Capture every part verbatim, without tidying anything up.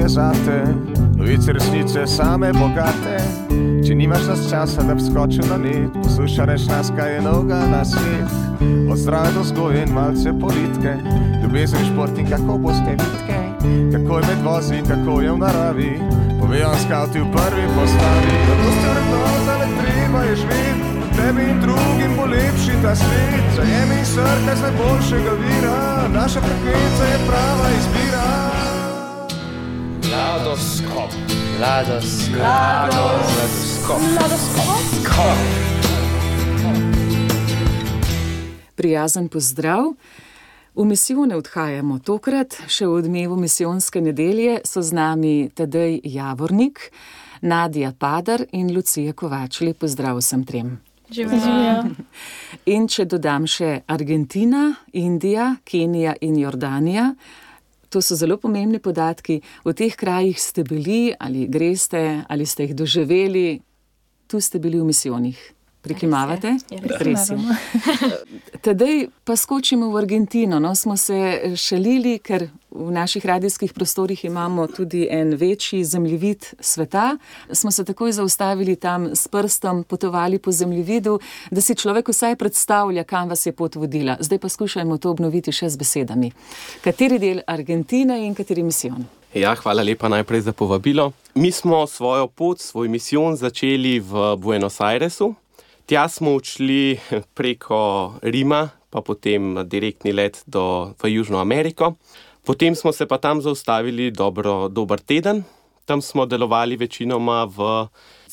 je zate, novice resnice same bogate. Če nimaš nas časa, da bi skočil na net, posluša reč nas, kaj je novega na svet. Od zdrave do vzgoje in malce politike, ljubezen, šport in kako boste vitke, kako je med vozi in kako je v naravi, povejo vam skavti v prvi postavi. Zato ste vrednota, le treba je živeti, tebi in drugim bo lepši ta svet. Zajemi in srkaj z najboljšega vira, naša frekvenca je prava izbira. Ladoskop. Ladoskop. Ladoskop. Ladoskop. Prijazen pozdrav. V misijone odhajamo tokrat, še v odmevu misijonske nedelje so z nami Tadej Javornik, Nadja Padar in Lucija Kovač. Lep pozdrav vsem trem. Živijo. In če dodam še Argentina, Indija, Kenija in Jordanija, to so zelo pomembni podatki. V teh krajih ste bili ali greste ali ste jih doživeli, tu ste bili v misijonih. Prikimavate? Res je. Tadej pa skočimo v Argentino. No, smo se šalili, ker v naših radijskih prostorih imamo tudi en večji zemljevid sveta. Smo se takoj zaustavili tam s prstom, potovali po zemljevidu, da si človek vsaj predstavlja, kam vas je pot vodila. Zdaj pa skušajmo to obnoviti še z besedami. Kateri del Argentine in kateri misijon? Ja, hvala lepa najprej za povabilo. Mi smo svojo pot, svoj misijon začeli v Buenos Airesu. Tja smo odšli preko Rima, pa potem direktni let do, v Južno Ameriko. Potem smo se pa tam zaustavili dobro, dober teden. Tam smo delovali večinoma v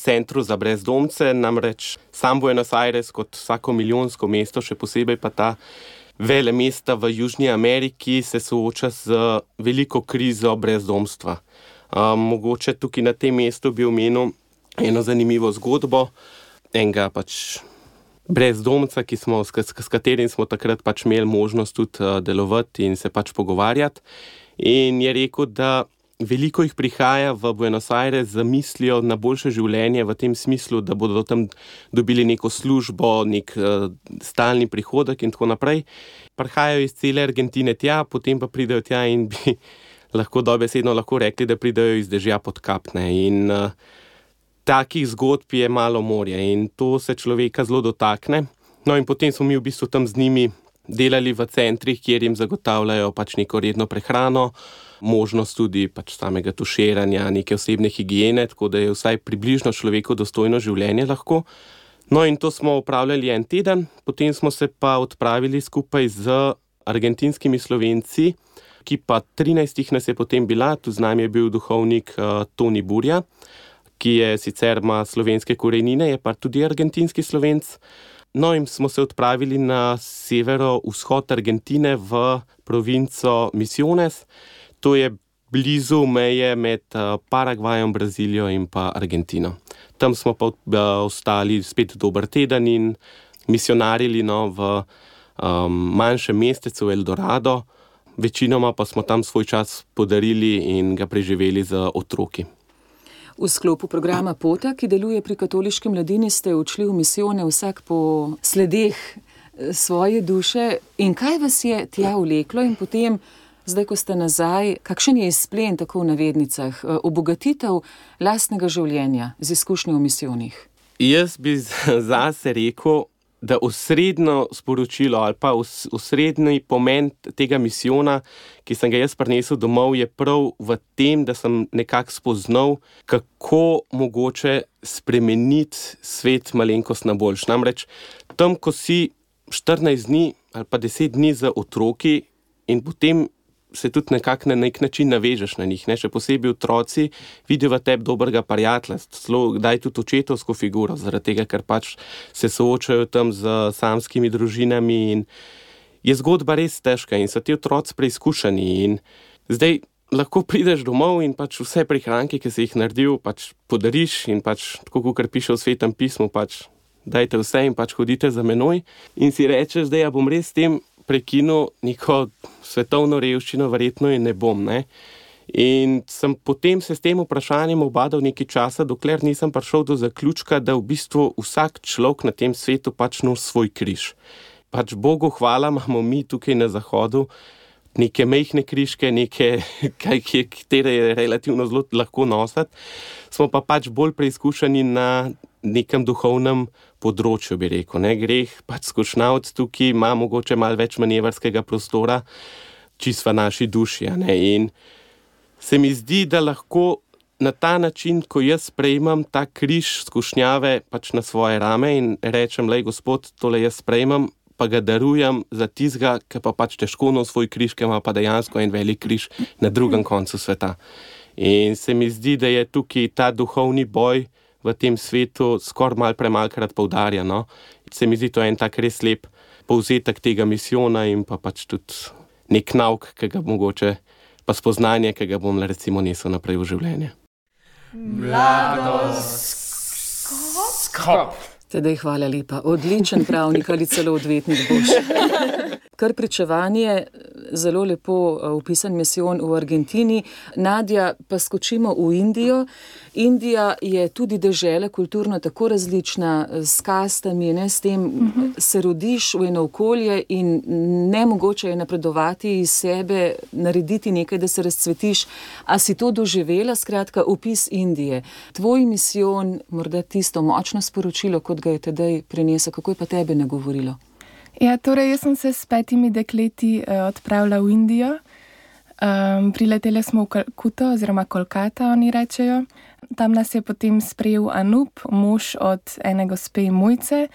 centru za brezdomce, namreč sam Buenos Aires kot vsako milijonsko mesto, še posebej pa ta vele mesta v Južni Ameriki, se sooča z veliko krizo brezdomstva. Um, mogoče tukaj na tem mestu bi omenil eno zanimivo zgodbo, enega pač brezdomca, ki smo, s, s katerim smo takrat pač imeli možnost tudi uh, delovati in se pač pogovarjati. In je rekel, da veliko jih prihaja v Buenos Aires z mislijo na boljše življenje v tem smislu, da bodo tam dobili neko službo, nek uh, stalni prihodek in tako naprej. Prihajajo iz cele Argentine tja, potem pa pridejo tja in bi lahko dobesedno lahko rekli, da pridejo iz dežja pod kapne. In uh, takih zgodb je malo morje in to se človeka zelo dotakne. No in potem smo mi v bistvu tam z njimi delali v centrih, kjer jim zagotavljajo pač neko redno prehrano, možnost tudi pač samega tuširanja, neke osebne higiene, tako da je vsaj približno človeku dostojno življenje lahko. No in to smo opravljali en teden, potem smo se pa odpravili skupaj z argentinskimi Slovenci, ki pa trinajstih nas je potem bila, tu z nami je bil duhovnik uh, Toni Burja, ki je sicer ima slovenske korenine, je pa tudi argentinski Slovenc. No in smo se odpravili na severo-vzhod Argentine v provinco Misiones. To je blizu meje med Paragvajem, Brazilijo in pa Argentino. Tam smo pa ostali spet dober teden in misionarili no, v um, manjšem mestecu El Dorado. Večinoma pa smo tam svoj čas podarili in ga preživeli z otroki. V sklopu programa Pota, ki deluje pri katoliški mladini, ste odšli v misijone vsak po sledeh svoje duše. In kaj vas je tja vleklo in potem, zdaj ko ste nazaj, kakšen je izplen, tako v navednicah, obogatitev lastnega življenja z izkušnjo v misijonih? Jaz bi zase rekel, da osrednjo sporočilo ali pa osrednji pomen tega misijona, ki sem ga jaz prinesel domov, je prav v tem, da sem nekako spoznal, kako mogoče spremeniti svet malenkost na boljš. Namreč tam, ko si štirinajst dni ali pa deset dni z otroki in potem se tudi nekako na nek način navežeš na njih, ne? Še posebej otroci vidijo v tebi dobrega prijatelja, celo kdaj tudi očetovsko figuro, zaradi tega, ker pač se soočajo tam z samskimi družinami in je zgodba res težka in so ti otroci preizkušeni in zdaj lahko prideš domov in pač vse prihranke, ki si jih naredil, pač podariš in pač, tako kot piše v Svetem pismu, pač dajte vse in pač hodite za menoj in si rečeš, da ja bom res s tem prekinil neko svetovno revščino, verjetno in ne bom, ne. In sem potem se s tem vprašanjem obadal nekaj časa, dokler nisem prišel do zaključka, da v bistvu vsak človek na tem svetu pač nosi svoj križ. Pač Bogu hvala, imamo mi tukaj na Zahodu neke mehne križke, neke, katere je relativno zelo lahko nositi. Smo pa pač bolj preizkušeni na nekem duhovnem področju, bi rekel. Ne? Greh pač skušnjavc tukaj ima mogoče malo več manevrskega prostora, čist v naši duši. Ne? In se mi zdi, da lahko na ta način, ko jaz sprejmem ta križ skušnjave pač na svoje rame in rečem, lej Gospod, tole jaz sprejmem, pa ga darujem za tizga, ki pa pač težko nos svoj križ, ki ima pa dejansko en velik križ na drugem koncu sveta. In se mi zdi, da je tukaj ta duhovni boj v tem svetu skoraj malo premalkrat poudarja. No? Se mi zdi, to je en tak res lep povzetek tega misijona in pa pač tudi nek nauk, ki ga mogoče, pa spoznanje, ki ga bom recimo nesel naprej v življenje. Mladoskop. Tedaj hvala lepa. Odličen pravnik ali celo odvetnik boš. Kar pričevanje, zelo lepo opisan misijon v Argentini. Nadja, pa skočimo v Indijo. Indija je tudi dežela kulturno tako različna, s kastami, ne, s tem uh-huh. se rodiš v eno okolje in nemogoče je napredovati iz sebe, narediti nekaj, da se razcvetiš. A si to doživela, skratka, opis Indije? Tvoj misijon, morda tisto močno sporočilo, kot ga je tedaj prinesel, kako je pa tebe nagovorilo? Ja, torej, jaz sem se s petimi dekleti uh, odpravila v Indijo. Um, prileteli smo v Kalkuto, oziroma Kolkata, oni rečejo. Tam nas je potem sprejel Anup, mož od ene gospe Mojce.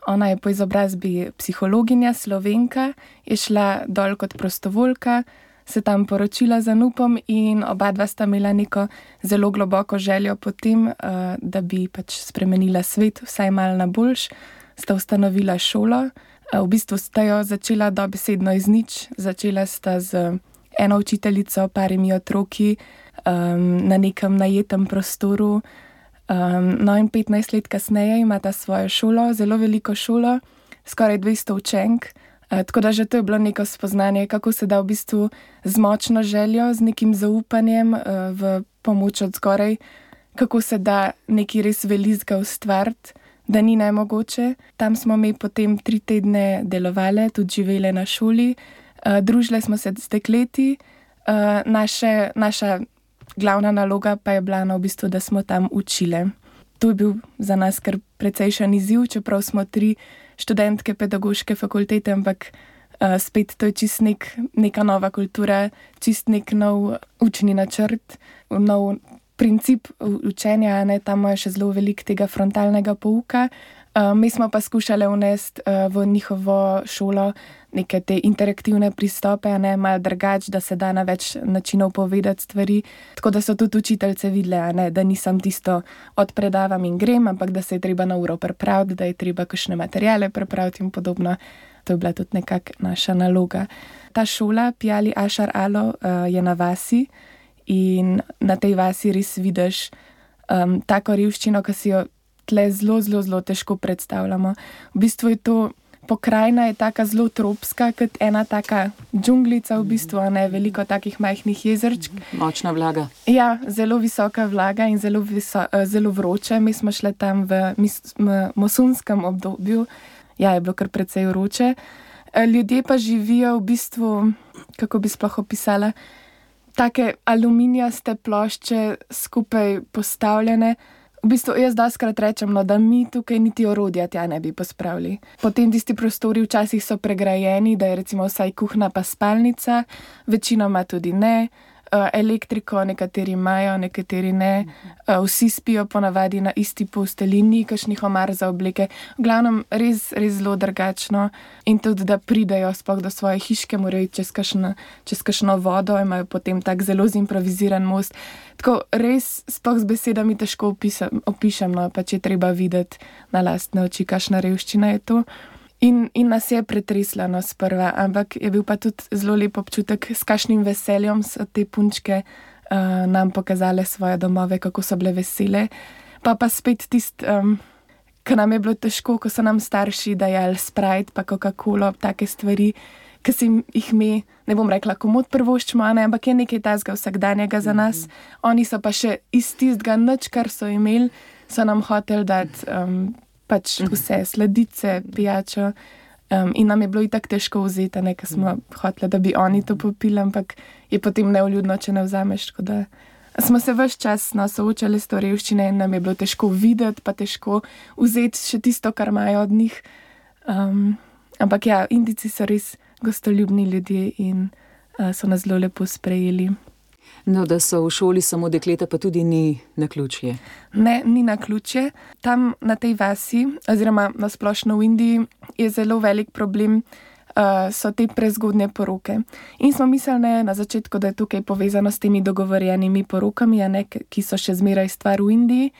Ona je po izobrazbi psihologinja, Slovenka, je šla dol kot prostovoljka, se tam poročila z Anupom in oba dva sta imela neko zelo globoko željo potem, uh, da bi pač spremenila svet, vsaj malo na boljš. Sta ustanovila šolo. V bistvu sta jo začela dobesedno iz nič. Začela sta z eno učiteljico, parimi otroki, um, na nekem najetem prostoru. Um, no in petnajst let kasneje imata svojo šolo, zelo veliko šolo, skoraj dvesto učenk. Uh, tako da že to je bilo neko spoznanje, kako se da v bistvu z močno željo, z nekim zaupanjem uh, v pomoč od zgoraj, kako se da neki res velizga ustvariti, da ni nemogoče. Tam smo mi potem tri tedne delovali, tudi živeli na šoli, uh, družili smo se z dekleti. Uh, naše, naša glavna naloga pa je bila no, v bistvu, da smo tam učili. To je bil za nas kar precejšen izziv, čeprav smo tri študentke pedagoške fakultete, ampak uh, spet to je čist nek, neka nova kultura, čist nek nov učni načrt, nov princip učenja, ne, tam je še zelo veliko tega frontalnega pouka. Uh, mi smo pa skušali vnesti uh, v njihovo šolo neke te interaktivne pristope, ne, malo drugače, da se da na več načinov povedati stvari. Tako da so tudi učiteljce videli, ne, da nisem tisto odpredavam in grem, ampak da se je treba na uro pripraviti, da je treba kakšne materijale pripraviti in podobno. To je bila tudi nekak naša naloga. Ta šola, Pjali Ašar Alo, uh, je na vasi in na tej vasi res vidiš um, tako revščino, ki si jo tle zelo, zelo, zelo težko predstavljamo. V bistvu je to pokrajina, je taka zelo tropska, kot ena taka džunglica v bistvu, a ne veliko takih majhnih jezerčk. Močna vlaga. Ja, zelo visoka vlaga in zelo, viso, zelo vroče. Mi smo šli tam v monsunskem obdobju. Ja, je bilo kar precej vroče. Ljudje pa živijo v bistvu, kako bi sploh opisala, take aluminijaste plošče skupaj postavljene. V bistvu jaz doskrat rečem, no, da mi tukaj niti orodja tja ne bi pospravili. Potem tisti prostori včasih so pregrajeni, da je recimo vsaj kuhna pa spalnica, večinoma tudi ne. Elektriko nekateri imajo, nekateri ne. Vsi spijo ponavadi na isti postelini, kakšnih omar za obleke. V glavnem res, res zelo drugačno. In tudi, da pridejo sploh do svoje hiške, morajo čez kakšno, čez kakšno vodo, imajo potem tak zelo zimproviziran most. Tako res sploh z besedami težko opisam, opišem, no, pa če treba videti na lastne oči, kakšna revščina je to. In, in nas je pretresla, no, sprva, ampak je bil pa tudi zelo lep občutek, s kakšnim veseljem so te punčke uh, nam pokazale svoje domove, kako so bile vesele. Pa pa spet tist, um, ko nam je bilo težko, ko so nam starši dajali Sprite pa Coca-Colo, take stvari, ki si jih mi, ne bom rekla komod prvoščimo, ne, ampak je nekaj tazga vsakdanjega za nas. Mm-hmm. Oni so pa še iz tistega nič, kar so imeli, so nam hoteli dati um, pač vse, sladice, pijačo. Um, in nam je bilo itak težko vzeti, ker smo hoteli, da bi oni to popili, ampak je potem neuljudno, če ne vzameš. Tako da smo se ves čas no, soočali s to revščino in nam je bilo težko videti, pa težko vzeti še tisto, kar imajo od njih. Um, ampak ja, Indijci so res gostoljubni ljudje in uh, so nas zelo lepo sprejeli. No, da so v šoli samo dekleta, pa tudi ni naključje. Ne, ni naključje. Tam na tej vasi, oziroma na splošno v Indiji, je zelo velik problem, uh, so te prezgodnje poroke. In smo mislili na začetku, da je tukaj povezano s temi dogovorjenimi porokami, a ne, ki so še zmeraj stvar v Indiji.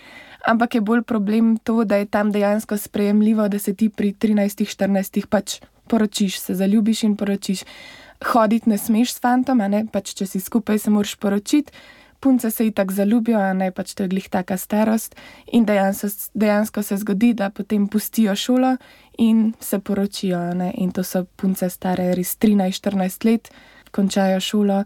Ampak je bolj problem to, da je tam dejansko sprejemljivo, da se ti pri trinajstih, štirinajstih pač poročiš, se zaljubiš in poročiš. Hoditi ne smeš s fantom, a ne, pač če si skupaj se moraš poročiti, punce se itak zaljubijo, a ne, pač to je glih taka starost in dejansko, dejansko se zgodi, da potem pustijo šolo in se poročijo, a ne, in to so punce stare res trinajst, štirinajst let, končajo šolo.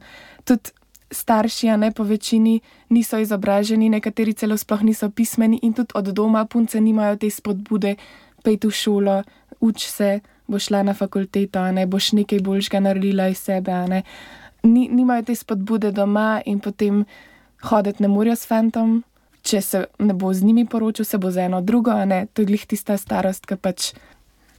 Tudi starši, a ne, po večini niso izobraženi, nekateri celo sploh niso pismeni in tudi od doma punce nimajo te spodbude, pejti v šolo, uč se, boš šla na fakulteto, a ne, boš nekaj boljšega naredila iz sebe, a ne. Ni, nimajo te spodbude doma in potem hoditi ne morajo s fantom, če se ne bo z njimi poročil, se bo za eno drugo, a ne, to je glih tista starost, ki pač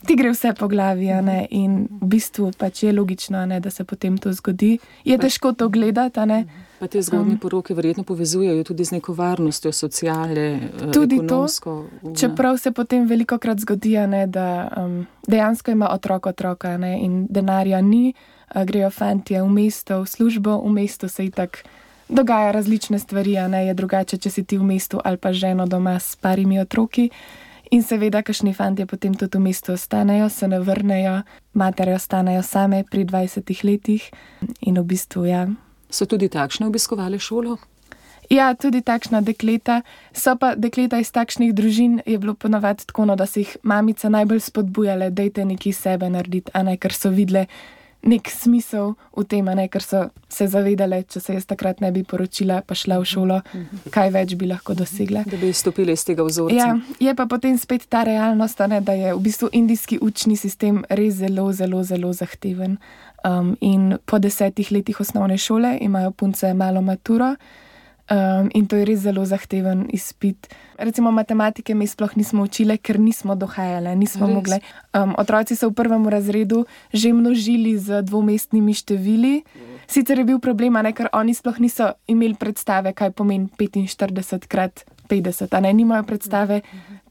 ti gre vse po glavi, a ne, in v bistvu pač je logično, a ne, da se potem to zgodi. Je težko to gledati, a ne. Pa te zgodnje poroke verjetno povezujejo tudi z neko varnostjo, sociale, tudi ekonomsko. To, čeprav se potem velikokrat zgodi, a ne, da um, dejansko ima otrok otroka, a ne, in denarja ni, a grejo fantje v mesto, v službo, v mestu se itak dogaja različne stvari, a ne, je drugače, če si ti v mestu ali pa ženo doma s parimi otroki. In seveda, kakšni fantje potem tudi v mestu ostanejo, se ne vrnejo, matere ostanejo same pri dvajsetih letih in v bistvu, ja. So tudi takšne obiskovali šolo? Ja, tudi takšna dekleta. So pa dekleta iz takšnih družin je bilo ponavadi tako, no, da so jih mamice najbolj spodbujale, dajte nekaj sebe narediti, a ne, ker so videle nek smisel v tem, a ne, ker so se zavedale, če se jaz takrat ne bi poročila, pa šla v šolo, kaj več bi lahko dosegla. Da bi stopili iz tega vzorca. Ja, je pa potem spet ta realnost, a ne, da je v bistvu indijski učni sistem res zelo, zelo, zelo zahteven. Um, in po desetih letih osnovne šole imajo punce malo maturo um, in to je res zelo zahteven izpit. Recimo matematike mi sploh nismo učile, ker nismo dohajale, nismo res mogle. Um, otroci so v prvem razredu že množili z dvomestnimi števili. Sicer je bil problem, a ne, ker oni sploh niso imeli predstave, kaj pomeni petinštirideset krat petdeset, a ne, nimajo predstave,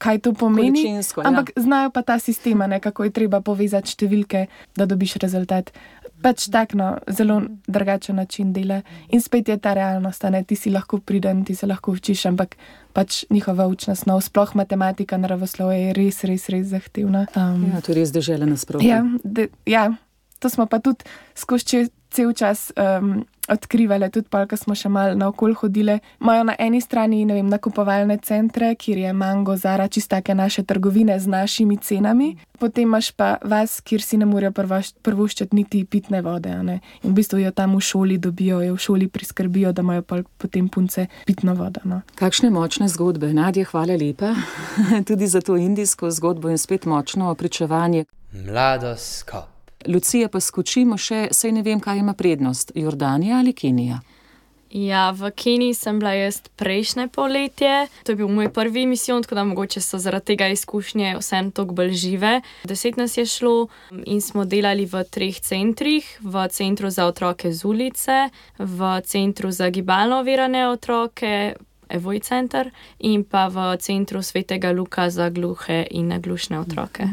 kaj to pomeni, ampak ja, znajo pa ta sistem, a ne, kako je treba povezati številke, da dobiš rezultat. Pač tak, no, zelo drugačen način dela. In spet je ta realnost, a ne, ti si lahko priden, ti se lahko učiš, ampak pač njihova učna snov, sploh matematika, naravoslovje je res, res, res zahtevna. Um, ja, to je res dežela nasprotno. Ja, de, ja, to smo pa tudi skozi cel čas um, odkrivali, tudi pa, ko smo še malo naokol hodile. Imajo na eni strani, ne vem, nakupovalne centre, kjer je Mango, Zara, čistake naše trgovine z našimi cenami. Potem imaš pa vas, kjer si ne morejo prvoščati niti pitne vode, a ne. In v bistvu jo tam v šoli dobijo, jo v šoli priskrbijo, da imajo pa potem punce pitno vodo, no. Kakšne močne zgodbe. Nadja, hvala lepa tudi za to indijsko zgodbo in spet močno pričevanje. Mladoskop. Lucija, pa skočimo še, saj ne vem, kaj ima prednost, Jordanija ali Kenija? Ja, v Keniji sem bila jaz prejšnje polletje. To je bil moj prvi misijon, tako da mogoče so zaradi tega izkušnje vseeno toliko bolj žive. Deset nas je šlo in smo delali v treh centrih. V centru za otroke z ulice, v centru za gibalno ovirane otroke, Evoj center, in pa v centru Svetega Luka za gluhe in naglušne otroke.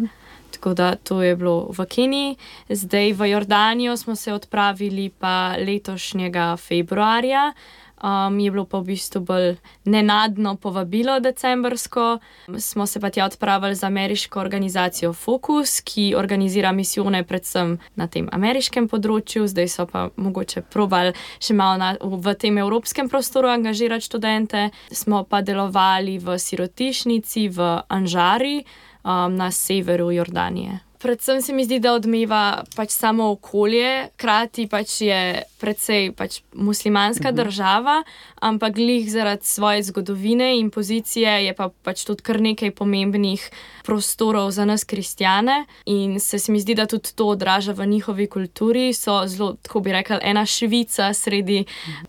Tako da to je bilo v Keniji. Zdaj v Jordanijo smo se odpravili pa letošnjega februarja. Um, je bilo pa v bistvu bolj nenadno povabilo decembrsko. Smo se pa tja odpravili z ameriško organizacijo Focus, ki organizira misijone predvsem na tem ameriškem področju. Zdaj so pa mogoče probali še malo na, v tem evropskem prostoru angažirati študente. Smo pa delovali v sirotišnici v Anžari, Um, na severu Jordanije. Predvsem se mi zdi, da odmeva pač samo okolje, krati pač je precej pač muslimanska uh-huh. država, ampak glih zaradi svoje zgodovine in pozicije je pa pač tudi kar nekaj pomembnih prostorov za nas kristjane in se, se mi zdi, da tudi to odraža v njihovi kulturi. So zelo, tako bi rekli, ena Švica sredi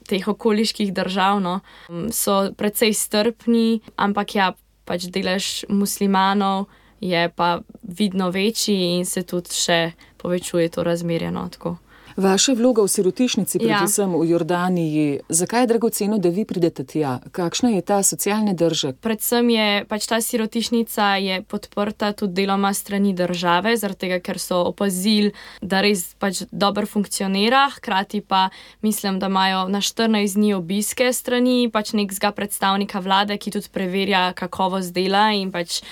teh okoliških držav. No. So precej strpni, ampak ja, pač delež muslimanov je pa vidno večji in se tudi še povečuje to razmerje. No, tako. Vaša vloga v sirotišnici, predvsem ja. v Jordaniji, zakaj je dragoceno, da vi pridete tja? Kakšna je ta socialni držek? Predvsem je pač ta sirotišnica je podprta tudi deloma strani države, zaradi tega, ker so opazili, da res pač dobro funkcionira, hkrati pa mislim, da imajo na štirinajst dni obiske strani pač nekega predstavnika vlade, ki tudi preverja kakovost dela in pač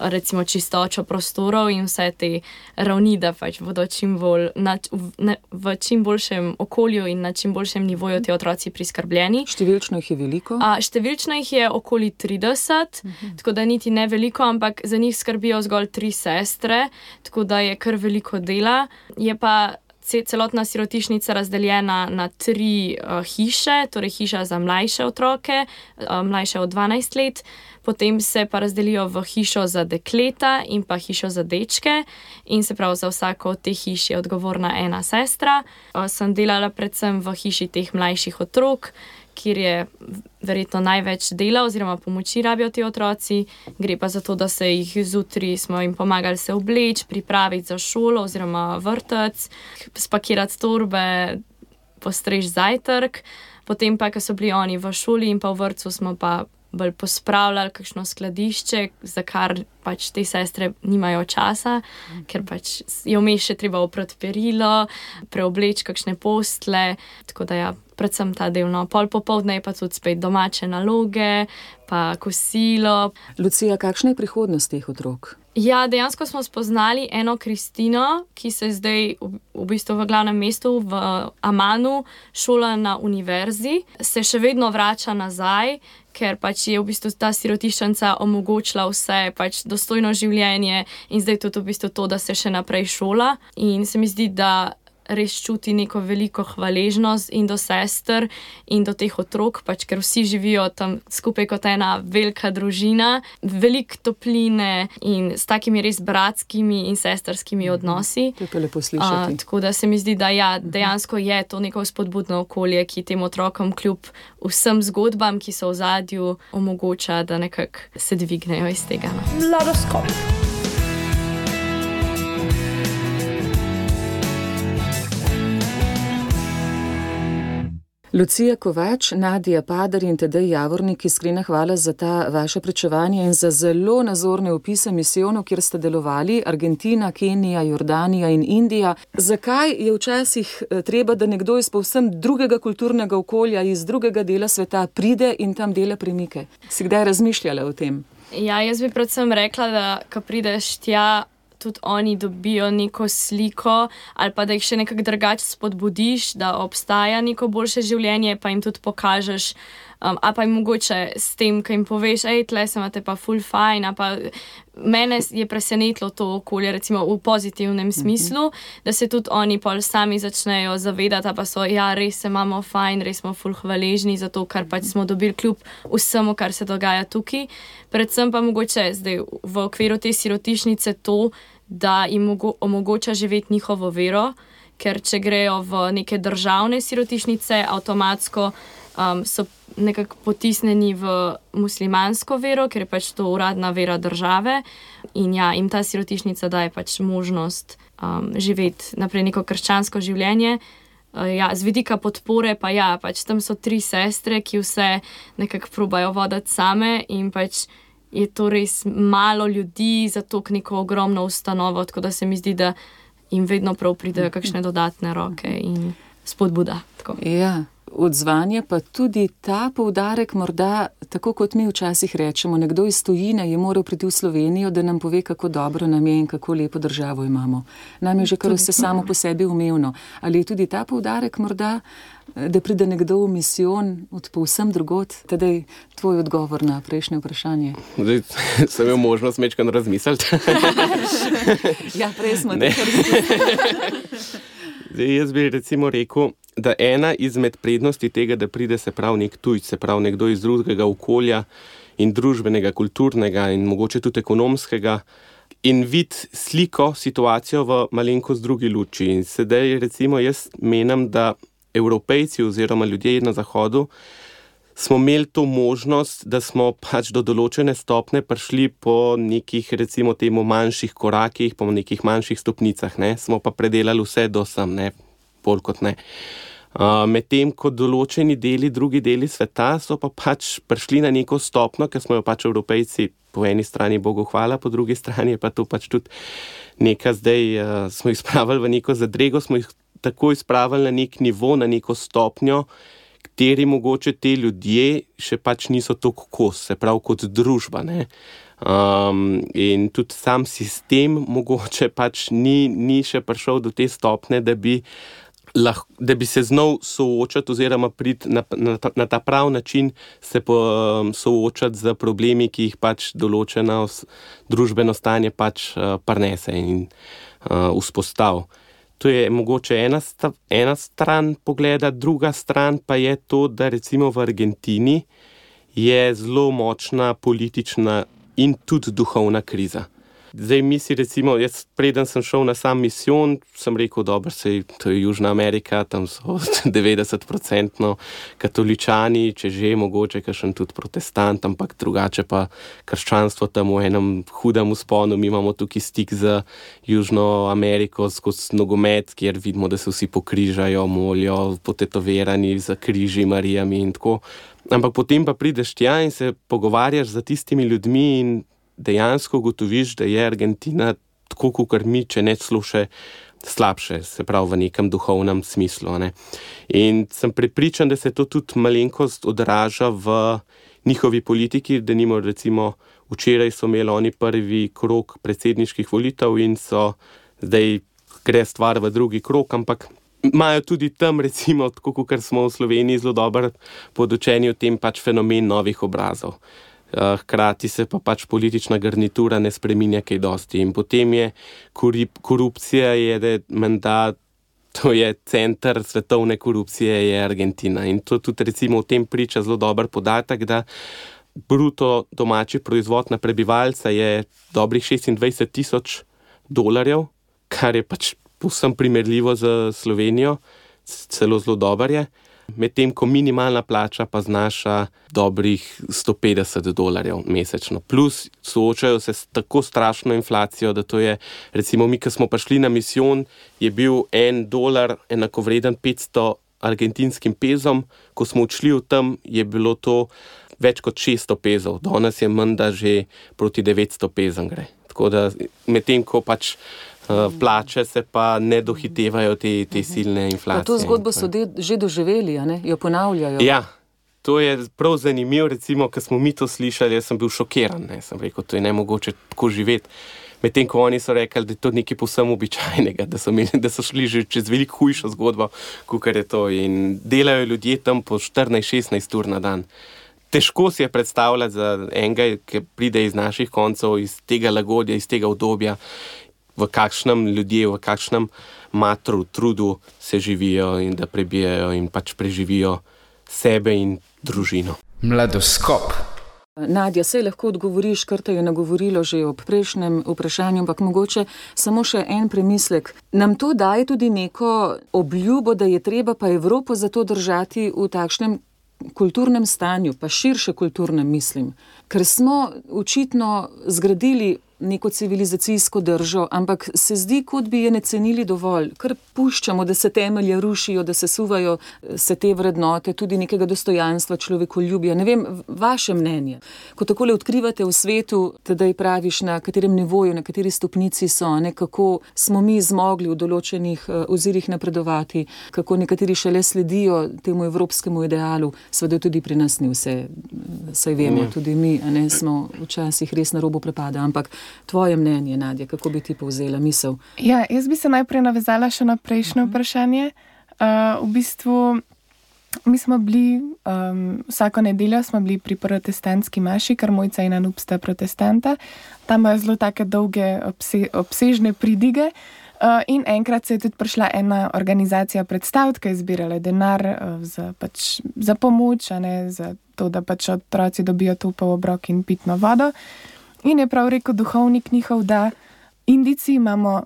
recimo čistočo prostorov in vse te ravni, da pač bodo čim bolj na, v, v čim boljšem okolju in na čim boljšem nivoju ti otroci priskrbljeni. Številčno jih je veliko? A, številčno jih je okoli trideset, uh-huh. tako da niti ne veliko, ampak za njih skrbijo zgolj tri sestre, tako da je kar veliko dela. Je pa celotna sirotišnica razdeljena na tri uh, hiše, torej hiša za mlajše otroke, uh, mlajše od dvanajst let, potem se pa razdelijo v hišo za dekleta in pa hišo za dečke in se pravi za vsako od teh hiš je odgovorna ena sestra. Uh, sem delala predvsem v hiši teh mlajših otrok, kjer je verjetno največ dela oziroma pomoči rabijo ti otroci. Gre pa za to, da se jih zjutraj smo jim pomagali se obleči, pripraviti za šolo oziroma vrtec, spakirati torbe, postreči zajtrk. Potem pa, ko so bili oni v šoli in pa v vrtcu, smo pa bolj pospravljali kakšno skladišče, za kar pač te sestre nimajo časa, ker pač je vmes še treba oprati perilo, preobleči kakšne postle, tako da ja, predvsem ta del. No, pol popoldne je pa tudi spet domače naloge, pa kosilo. Lucija, kakšna je prihodnost teh otrok? Ja, dejansko smo spoznali eno Kristino, ki se zdaj v, v bistvu v glavnem mestu v Amanu šola na univerzi, se še vedno vrača nazaj, ker pač je v bistvu ta sirotiščnica omogočila vse pač dostojno življenje in zdaj tudi v bistvu to, da se še naprej šola. In se mi zdi, da res čuti neko veliko hvaležnost in do sester in do teh otrok, pač ker vsi živijo tam skupaj kot ena velika družina, veliko topline in s takimi res bratskimi in sestrskimi odnosi. To je pa lepo slišati. Uh, tako da se mi zdi, da ja, dejansko je to neko spodbudno okolje, ki tem otrokom kljub vsem zgodbam, ki so v zadju, omogoča, da nekako se dvignejo iz tega. No. Mladoskop. Lucija Kovač, Nadija Padar in Tadej Javornik, iskrena hvala za ta vaše pričevanje in za zelo nazorne opise misijonov, kjer ste delovali, Argentina, Kenija, Jordanija in Indija. Zakaj je včasih treba, da nekdo iz povsem drugega kulturnega okolja, iz drugega dela sveta pride in tam dela premike? Si kdaj razmišljala o tem? Ja, jaz bi predvsem rekla, da ko prideš tja, tudi oni dobijo neko sliko ali pa da jih še nekako drugače spodbudiš, da obstaja neko boljše življenje, pa jim tudi pokažeš, um, a pa jim mogoče s tem, ko jim poveš, ej, tle se imate pa ful fajn, a pa mene je presenetilo to okolje, recimo v pozitivnem smislu, mm-hmm. da se tudi oni pol sami začnejo zavedati, a pa so, ja, res se imamo fajn, res smo ful hvaležni za to, kar pač smo dobili kljub vsemu, kar se dogaja tukaj. Predvsem pa mogoče zdaj v okviru te sirotišnice to, da jim omogoča živeti njihovo vero, ker če grejo v neke državne sirotišnice, avtomatsko um, so nekako potisnjeni v muslimansko vero, ker je pač to uradna vera države in ja, jim ta sirotišnica daje pač možnost um, živeti naprej neko krščansko življenje. Uh, ja, z vidika podpore pa ja, pač tam so tri sestre, ki vse nekako probajo voditi same in pač je to res malo ljudi za to neko ogromno ustanovo, tako da se mi zdi, da jim vedno prav pridejo kakšne dodatne roke. In spodbuda. Tako. Ja, odzvanje pa tudi ta poudarek morda, tako kot mi včasih rečemo, nekdo iz tujine je moral priti v Slovenijo, da nam pove, kako dobro nam je in kako lepo državo imamo. Nam je že kar vse samo po sebi umevno. Ali je tudi ta poudarek morda, da pride nekdo v misijon od povsem drugot? Tedaj tvoj odgovor na prejšnje vprašanje. Zdaj sem imel možnost mečkan razmisliti. Ja, prej smo Ne. tako razmislili. Zdaj, jaz bi recimo rekel, da ena izmed prednosti tega, da pride se prav nek tujc, se prav nekdo iz drugega okolja in družbenega, kulturnega in mogoče tudi ekonomskega, in vid sliko, situacijo v malenkost drugi luči. In sedaj recimo jaz menim, da Evropejci oziroma ljudje na Zahodu smo imeli to možnost, da smo pač do določene stopne prišli po nekih recimo temu manjših korakih, po nekih manjših stopnicah, ne, smo pa predelali vse do sem, ne, bolj kot ne. Uh, medtem, ko določeni deli, drugi deli sveta so pa pač prišli na neko stopno, ker smo jo pač Evropejci po eni strani Bogu hvala, po drugi strani je pa to pač tudi neka zdaj, uh, smo jih spravili v neko zadrego, smo jih tako izpravili na nek nivo, na neko stopnjo, kateri mogoče te ljudje še pač niso toliko kos, se pravi kot družba, ne. Um, in tudi sam sistem mogoče pač ni, ni še prišel do te stopne, da bi lahko, da bi se znal soočati oziroma priti na, na, na ta prav način se po, um, soočati z problemi, ki jih pač določeno družbeno stanje pač uh, prinese in uh, vzpostavi. To je mogoče ena, sta, ena stran pogleda, druga stran pa je to, da recimo v Argentini je zelo močna politična in tudi duhovna kriza. Zdaj mi si recimo, jaz preden sem šel na sam misijon, sem rekel, dobro, sej, to je Južna Amerika, tam so devetdeset procentno katoličani, če že mogoče kakšen tudi protestant, ampak drugače pa krščanstvo tam v enem hudem vzponu. Mi imamo tukaj stik z Južno Ameriko skozi nogomet, kjer vidimo, da se vsi pokrižajo, molijo, potetovirani za križi, Marijami in tako. Ampak potem pa prideš tja in se pogovarjaš z tistimi ljudmi in dejansko ugotoviš, da je Argentina tako, kot mi, če ne celo še slabše, se pravi v nekem duhovnem smislu. Ne. In sem prepričan, da se to tudi malenkost odraža v njihovi politiki, da nimo recimo včeraj so imeli oni prvi krog predsedniških volitev in so zdaj gre stvar v drugi krog, ampak imajo tudi tam recimo, tako kot smo v Sloveniji zelo dobro podučeni o tem pač fenomen novih obrazov. Hkrati se pa pač politična garnitura ne spreminja kaj dosti. In potem je korupcija, je, da menda, to je center svetovne korupcije, je Argentina. In to tudi recimo v tem priča zelo dober podatek, da bruto domači proizvod na prebivalca je dobrih šestindvajset tisoč dolarjev, kar je pač povsem primerljivo z Slovenijo, celo zelo dober je. Medtem ko minimalna plača pa znaša dobrih sto petdeset dolarjev mesečno. Plus soočajo se s tako strašno inflacijo, da to je, recimo mi, ko smo prišli na misijon, je bil en dolar enakovreden petsto argentinskim pezom, ko smo odšli od tam, je bilo to več kot šeststo pezov. Danes je menda že proti devetsto pezom gre. Tako da medtem ko pač plače se pa ne dohitevajo te, te silne inflacije. Pa to zgodbo so de, že doživeli, a ne? Jo ponavljajo. Ja, to je prav zanimivo, recimo, ko smo mi to slišali, jaz sem bil šokiran, ne? Sem rekel, to je nemogoče tako živeti. Medtem ko oni so rekli, da je to nekaj povsem običajnega, da so, imeli, da so šli že čez veliko hujšo zgodbo, kakor je to. In delajo ljudje tam po štirinajst šestnajst ur na dan. Težko si je predstavljati za enega, ki pride iz naših koncev, iz tega lagodja, iz tega obdobja, v kakšnem ljudje, v kakšnem matru, trudu se živijo in da prebijajo in pač preživijo sebe in družino. Mladoskop. Nadja, sej lahko odgovoriš, kar te je nagovorilo že ob prejšnjem vprašanju, ampak mogoče samo še en premislek. Nam to daje tudi neko obljubo, da je treba pa Evropo zato držati v takšnem kulturnem stanju, pa širše kulturnem mislim. Ker smo očitno zgradili neko civilizacijsko držo, ampak se zdi, kot bi je ne cenili dovolj, ker puščamo, da se temelje rušijo, da se suvajo se te vrednote, tudi nekega dostojanstva, človekoljubja. Ne vem, vaše mnenje. Ko takole odkrivate v svetu, tedaj praviš, na katerem nivoju, na kateri stopnici so, ne, kako smo mi zmogli v določenih ozirih napredovati, kako nekateri šele sledijo temu evropskemu idealu, seveda tudi pri nas ni vse, saj vemo, tudi mi, a ne, smo včasih res na robu prepada, ampak tvoje mnenje, Nadja, kako bi ti povzela misel? Ja, jaz bi se najprej navezala še na prejšnje vprašanje. Uh, v bistvu, mi smo bili, um, vsako nedeljo smo bili pri protestantski maši, ker Mojca in Anup sta protestanta. Tam imajo zelo take dolge, obse, obsežne pridige. Uh, in enkrat se je tudi prišla ena organizacija predstaviti, ki je zbirala denar uh, za, pač, za pomoč, a ne, za to, da pač otroci dobijo topel obrok in pitno vodo. In je prav rekel duhovnik njihov, da Indijci imamo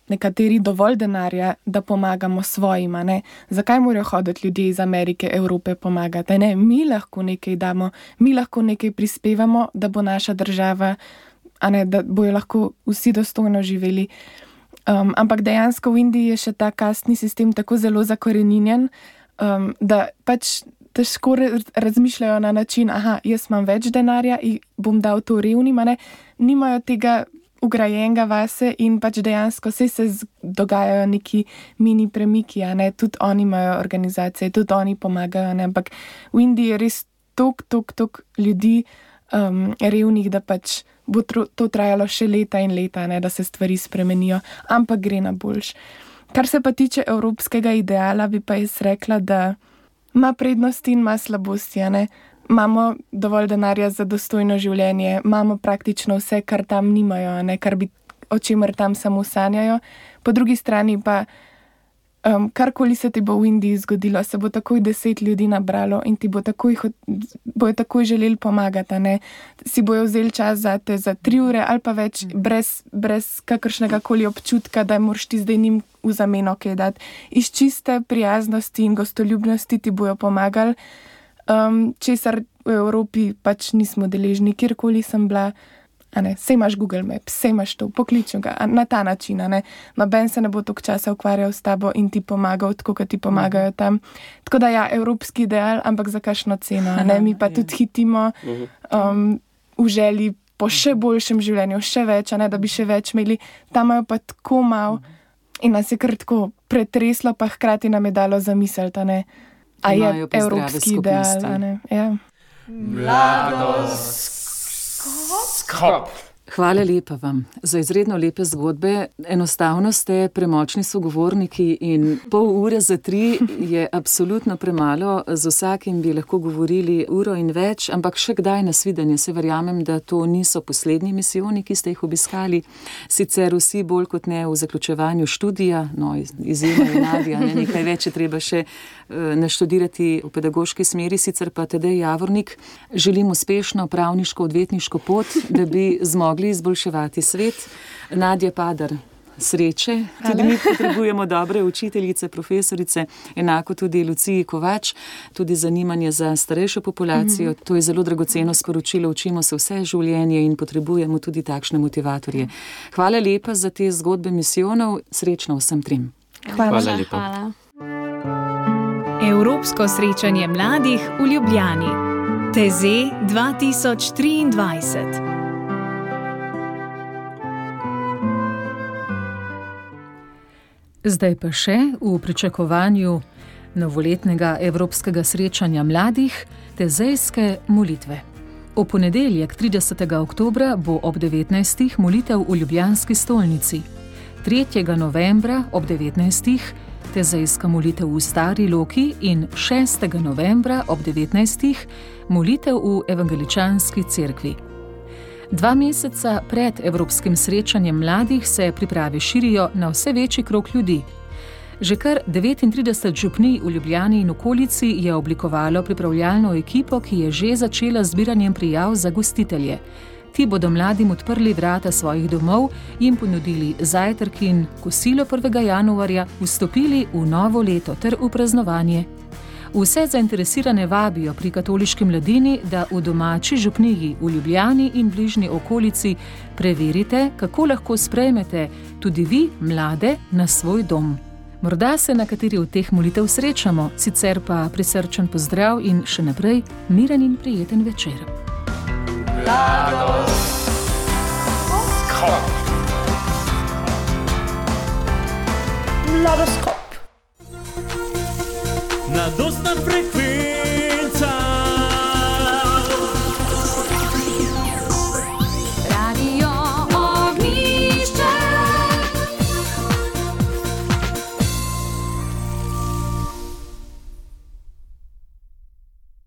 nekateri dovolj denarja, da pomagamo svojima. Ne? Zakaj morajo hoditi ljudje iz Amerike, Evrope pomagati? Ne? Mi lahko nekaj damo, mi lahko nekaj prispevamo, da bo naša država, a ne, da bojo lahko vsi dostojno živeli. Um, ampak dejansko v Indiji je še ta kastni sistem tako zelo zakoreninjen, um, da pač težko razmišljajo na način, aha, jaz imam več denarja in bom dal to revnim, ne, nimajo tega ugrajenega vase in pač dejansko vse se dogajajo neki mini premiki, a ne, tudi oni imajo organizacije, tudi oni pomagajo, ne, ampak v Indiji je res tok, tok, tok ljudi um, revnih, da pač bo tro, to trajalo še leta in leta, ne, da se stvari spremenijo, ampak gre na boljš. Kar se pa tiče evropskega ideala, bi pa jaz rekla, da ima prednosti in ima slabosti, ne. Imamo dovolj denarja za dostojno življenje, imamo praktično vse, kar tam nimajo, ne, kar bi, o čemer tam samo sanjajo. Po drugi strani pa, um, karkoli se ti bo v Indiji zgodilo, se bo takoj deset ljudi nabralo in ti bo takoj, bojo takoj želeli pomagati, ne. Si bojo vzeli čas zate za tri ure ali pa več, brez, brez kakršnega koli občutka, da moraš ti zdaj njim v zameno kaj dati. Iz čiste prijaznosti in gostoljubnosti ti bojo pomagali, um, česar v Evropi pač nismo deležni, kjerkoli sem bila, a ne, sej imaš Google Maps, sej imaš to, pokliču ga, na ta način, a ne, noben se ne bo toliko časa ukvarjal s tabo in ti pomagal, tako kot ti pomagajo tam. Tako da ja, evropski ideal, ampak za kakšno ceno, a ne, mi pa tudi hitimo um, v želji po še boljšem življenju, še več, a ne, da bi še več imeli, tam imajo pa tako malo, in nas je kar tako pretreslo, pa hkrati nam je dalo zamisliti, a ne, a je evropski ideal, a ne, ja. Mladost Skop. Hvala lepa vam za izredno lepe zgodbe. Enostavno ste premočni sogovorniki in pol ure za tri je absolutno premalo. Z vsakim bi lahko govorili uro in več, ampak še kdaj nasvidenje. Se verjamem, da to niso poslednji misijoni, ki ste jih obiskali. Sicer vsi bolj kot ne v zaključevanju študija, no izjemno je Nadja, ne, nekaj več je treba še naštudirati v pedagoški smeri, sicer pa Tadej Javornik želim uspešno pravniško odvetniško pot, da bi zmogli izboljševati svet. Nadja Padar, sreče. Tudi mi potrebujemo dobre učiteljice, profesorice, enako tudi Luciji Kovač, tudi zanimanje za starejšo populacijo. Mm-hmm. To je zelo dragoceno sporočilo, učimo se vse življenje in potrebujemo tudi takšne motivatorje. Hvala lepa za te zgodbe misijonov, srečno vsem trim. Hvala, Hvala lepa. Hvala. Evropsko srečanje mladih v Ljubljani. Teze dva tisoč triindvajset. Zdaj pa še v pričakovanju novoletnega evropskega srečanja mladih tezejske molitve. V ponedeljek tridesetega oktobra bo ob devetnajstih molitev v ljubljanski stolnici. tretjega novembra ob devetnajstih tezejska molitev v Stari Loki in šestega novembra ob devetnajstih molitev v evangeličanski cerkvi. Dva meseca pred evropskim srečanjem mladih se priprave širijo na vse večji krog ljudi. Že kar devetintrideset župnij v Ljubljani in okolici je oblikovalo pripravljalno ekipo, ki je že začela z zbiranjem prijav za gostitelje. Ti bodo mladim odprli vrata svojih domov, jim ponudili zajtrk in kosilo prvega januarja, vstopili v novo leto ter v praznovanje. Vse zainteresirane vabijo pri katoliški mladini, da v domači župniji v Ljubljani in bližnji okolici preverite, kako lahko sprejmete tudi vi, mlade, na svoj dom. Morda se na kateri od teh molitev srečamo, sicer pa prisrčen pozdrav in še naprej miren in prijeten večer. Mladoskop. Mladoskop. Mladostna frekvenca.